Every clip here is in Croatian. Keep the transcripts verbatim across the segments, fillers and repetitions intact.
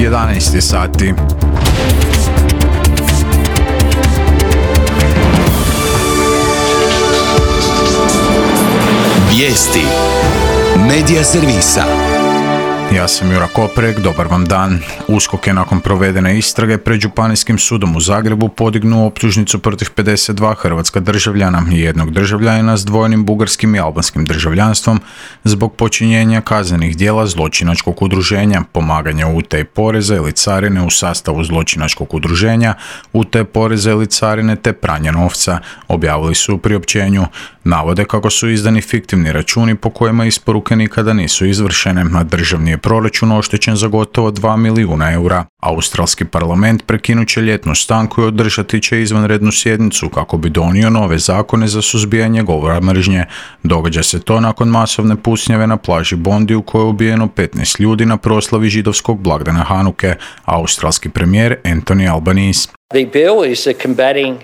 jedanaest je sati. Vijesti Medija servisa. Ja sam Jura Koprek, dobar vam dan. USKOK je nakon provedene istrage pred Županijskim sudom u Zagrebu podignuo optužnicu protiv pedeset dva hrvatska državljana i jednog državljanina s dvojnim bugarskim i albanskim državljanstvom zbog počinjenja kaznenih djela zločinačkog udruženja, pomaganja u utaji poreza ili carine u sastavu zločinačkog udruženja, utaje poreza ili carine te pranja novca, objavili su u priopćenju. Navode kako su izdani fiktivni računi po kojima isporuke nikada nisu izvršene, a državni je proračun oštećen za gotovo dva milijuna eura. Australski parlament prekinut će ljetnu stanku i održati će izvanrednu sjednicu kako bi donio nove zakone za suzbijanje govora mržnje. Događa se to nakon masovne pucnjave na plaži Bondi u kojoj je ubijeno petnaest ljudi na proslavi židovskog blagdana Hanuke. Australski premijer Anthony Albanese.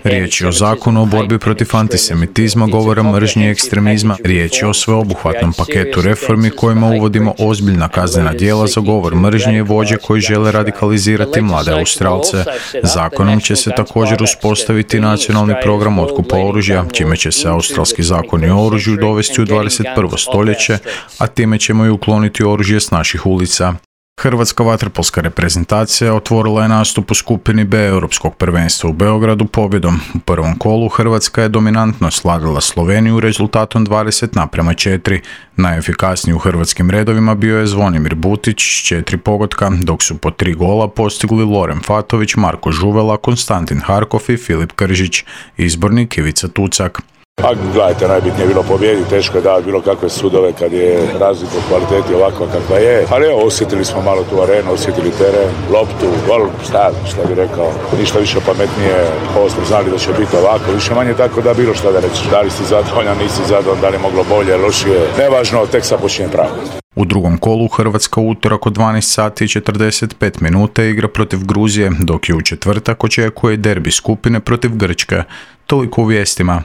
Riječ je o zakonu o borbi protiv antisemitizma, govora mržnje i ekstremizma. Riječ je o sveobuhvatnom paketu reformi kojima uvodimo ozbiljna kaznena djela za govor mržnje i vođe koji žele radikalizirati mlade Australce. Zakonom će se također uspostaviti nacionalni program otkupa oružja, čime će se australski zakoni o oružju dovesti u dvadeset prvo stoljeće, a time ćemo i ukloniti oružje s naših ulica. Hrvatska vaterpolska reprezentacija otvorila je nastup u skupini B Europskog prvenstva u Beogradu pobjedom. U prvom kolu Hrvatska je dominantno slavila Sloveniju rezultatom dvadeset naprema četiri. Najefikasniji u hrvatskim redovima bio je Zvonimir Butić s četiri pogotka, dok su po tri gola postigli Loren Fatović, Marko Žuvela, Konstantin Harkov i Filip Kržić. Izbornik Ivica Tucak. Pa gledajte, najbitnije je bilo pobijediti, teško je davati bilo kakve sudove kad je razlika u kvaliteti ovakva kakva je. Ali evo, osjetili smo malo tu arenu, osjetili teren, loptu, gol, šta, šta bi rekao, ništa više pametnije, ovo smo znali da će biti ovako, više manje tako da bilo šta da reći. Da li si zadovoljan, nisi zadovoljan, da li je moglo bolje, lošije, nevažno, tek sad počinje pravo. U drugom kolu Hrvatska u utorak od dvanaest sati i četrdeset pet minuta igra protiv Gruzije, dok je u četvrtak očekuje derbi skupine protiv Grčke. Toliko u vijestima.